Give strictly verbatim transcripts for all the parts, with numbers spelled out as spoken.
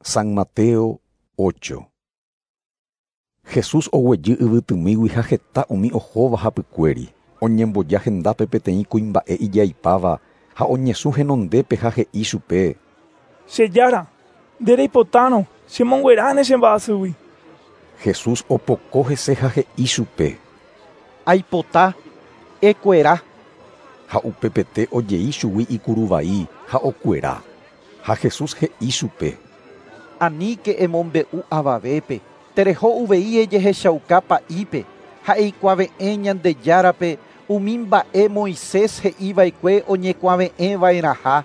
San Mateo ocho. Jesús oguejy yvytymígui ha heta umi ohóva hapykuéri. Oñemboja hendápe peteĩ kuimba'e ijaipáva ha oñesũ henondépe ha he'i chupe: Che Jára, nde reipotárõ chemongueráne che mba'asýgui. Jesús opoko hese ha he'i chupe: Aipota, ekuera. Ha upepete ojei chugui ikuruvai ha okuera. Ha Jesús he'i chupe: Aníke emombe'u avavépe, tereho uvei ejehechauka pa'ípe ha eikuave'ẽ Ñandejárape umi mba'e Moisés he'iva'ekue oñekuave'ẽva'erãha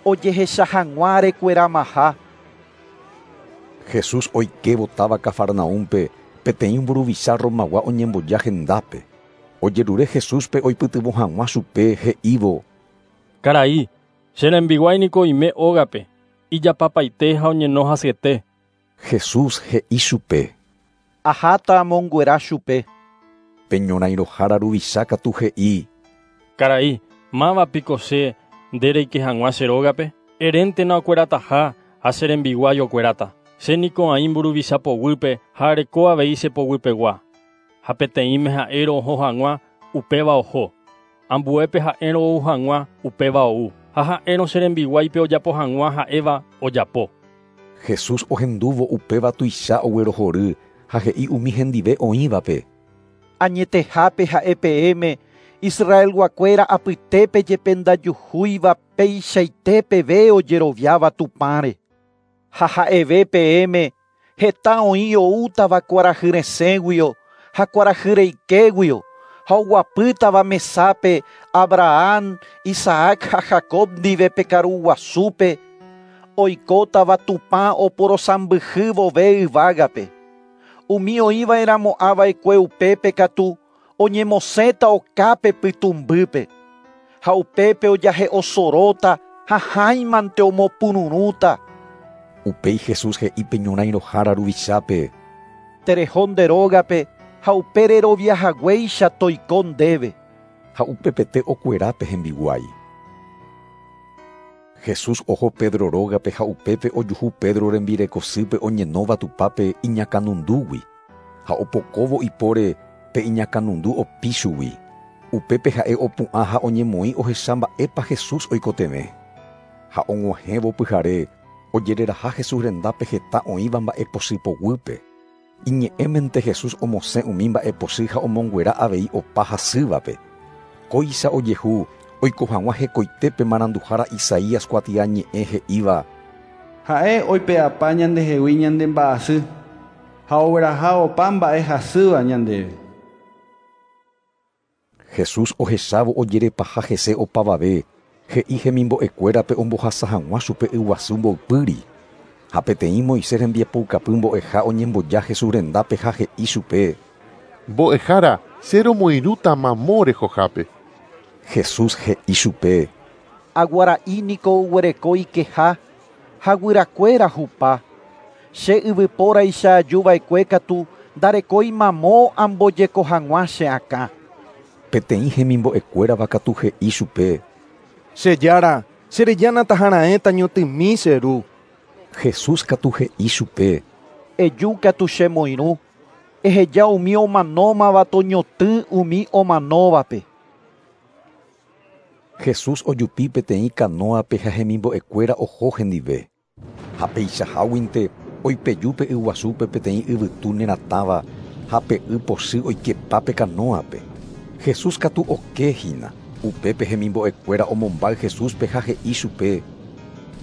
ojehecha hag̃ua rekueramaha. Jesús oikévo táva Cafarnaúmpe peteĩ mburuvicha Romagua oñemboja hendápe. Ojerure Jesúspe oipytyvõ hag̃ua chupe he'ívo: Karai, che rembiguái niko oime ógape, ijapapaite ha oñeno hasyete. Jesús he'i chupe: Aháta amonguera chupe. Pe ñorãirohára ruvicha katu he'i: Karai, mávapiko che nde reike hag̃ua che rógape? Eréntena okuerataha ha che rembiguái okueráta. Che niko aĩ mburuvicha poguýpe ha areko avei che poguypegua. Ha peteĩme ha'érõ oho hag̃ua, upéva oho. Ambuépe ha'érõ ou hag̃ua, upéva ou. Ha ha'érõ che rembiguáipe ojapo hag̃ua ha'éva ojapo. Jesús ohendúvo upéva tuicha oguerohory ha he'i umi hendive oĩvape: Añetehápe ha'e peẽme Israelguakuéra apytépe jepe ndajuhúiva peichaite peve ojeroviáva Tupãre. Ha ha'eve peẽme heta oĩ oútava kuarahyresẽguio ha kuarahyreikéguio ha oguapýtava mesápe Abraham, Isaac ha Jacob ndive pe karuguasúpe oikótava Tupã oporosãmbyhy vove yvágape. Umi oĩva'erãmo'ãva'ekue upépe katu oñemosẽta okápe pytũmbýpe ha upépe ojahe'osoróta ha hãimante omopururũta. Upéi Jesús he'i pe ñorãirohára ruvichápe: Tereho nde rógape ha upe reroviahaguéicha toiko ndéve. Ha upepete okuerápe hembiguái. Jesús oho Pedro rógape ha upépe ojuhu Pedro rembirekosýpe oñenóva tupápe iñakãnundúgui. Ha opokóvo ipóre pe iñakãnundu opi chugui. Upépe ha'e opu'ã ha oñemoĩ ohecha mba'épa Jesús oikotevẽ. Ha og̃uahẽvo pyhare ojereraha Jesús rendápe heta oĩva mba'epochy poguýpe. Iñe'ẽmente Jesús omosẽ umi mba'epochy ha omonguera avei opa hasývape. Kóicha ojehu oiko hag̃ua hekoitépe maranduhára Isaías kuatiañe'ẽ he'íva: Ha'e oipe'apa ñandehegui ñande mba'asy ha ogueraha opa mba'e hasýva ñandéve. Jesús ohechávo ojerepaha hese opavave, he'i hemimbo'ekuérape ombohasa hag̃ua chupe yguasu mboypýri. Ha peteĩ Moisés rembiapoukapy mbo'eha oñemboja Jesús rendápe ha he'i chupe: Mbo'ehára, che romoirũta mamo rehohápe. Jesús he'i chupe: Aguara'i niko oguereko ikeha ha guyrakuéra hupa. Che yvypóraicha ajuva'ekue katu ndarekói mamo ambojeko hag̃ua che akã. Peteĩ hemimbo'ekuérava katu he'i chupe: Che Jára, cherejána taharaẽ tañotỹmi che ru. Jesús katu he'i chupe: Eju katu chemoirũ, eheja umi omanómava toñotỹ umi omanóvape. Jesús ojupi peteĩ kanóape ha hemimbo'ekuéra oho hendive. Ha peichaháguinte oipeju pe yguasúpe peteĩ yvytu neratãva ha pe y pochy oikepa pe kanóape. Jesús katu okehína. Upépe hemimbo'ekuéra omombáy Jesúspe ha he'i chupe: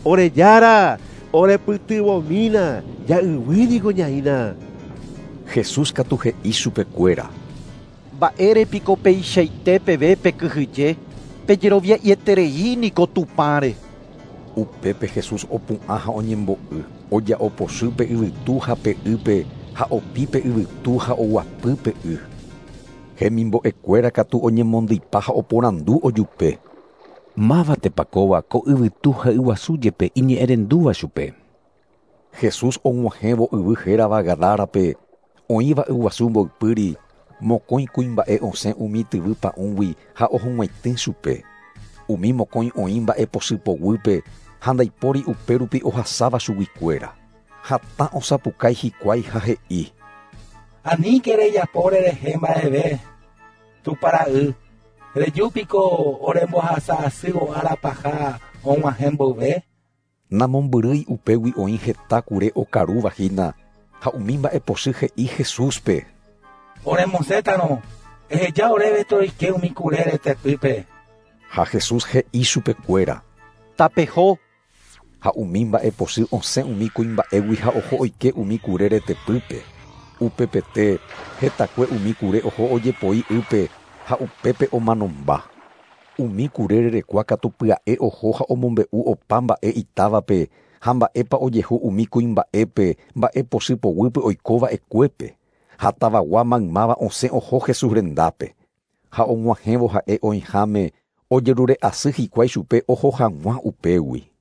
Ore Jára, orepytyvõmína, ja'yvýniko ñaína. Jesús katu he'i chupekuéra: Mba'érepiko peichaite peve pekyhyje, pejerovia'ieterei niko Tupãre. Upépe Jesús opu'ã ha oñembo'y, oja'opochy pe yvytu ha pe ýpe ha opi pe yvytu ha oguapy pe y. Hemimbo'ekuéra katu oñemondýipa ha oporandu ojupe: Mávatepa kóva ko yvytu ha yguasu jepe iñe'ẽrendúva chupe. Jesús og̃uahẽvo yvy hérava Gadárape, oĩva yguasu mboypýri, mokõi kuimba'e osẽ umi tyvy pa'ũgui ha ohug̃uaitĩ chupe. Umi mokõi oĩ mba'epochy poguýpe ha ndaipóri upérupi ohasáva chuguikuéra. Hatã osapukái hikuái ha he'i. Aníke rejapo orerehe mba'eve, Tupãra'y, rejúpiko orembohasa'asývo ára paha og̃uahẽ mboyve. Namombyrýi upégui oĩ heta kure okaruvahína ha umi mba'epochy he'i Jesúspe. Oremosẽtarõ, eheja oréve toroike umi kure retepýpe. Ha Jesús he'i chupekuéra. Tapeho. Ha umi mba'epochy osẽ umi kuimba'égui ha oho oike umi kure retepýpe. Upepete hetakue umi kure oho ojepoi ýpe ha upépe omanomba. Umi kure rerekua katu pya'e oho ha omombe'u opa mba'e itávape ha mba'épa ojehu umi kuimba'épe mba'epochy poguýpe oikova'ekuépe. Ha tavagua maymáva osẽ oho Jesús rendápe. Ha og̃uahẽvo ha'e oĩháme ojerure'asy hikuái chupe oho hag̃ua upégui.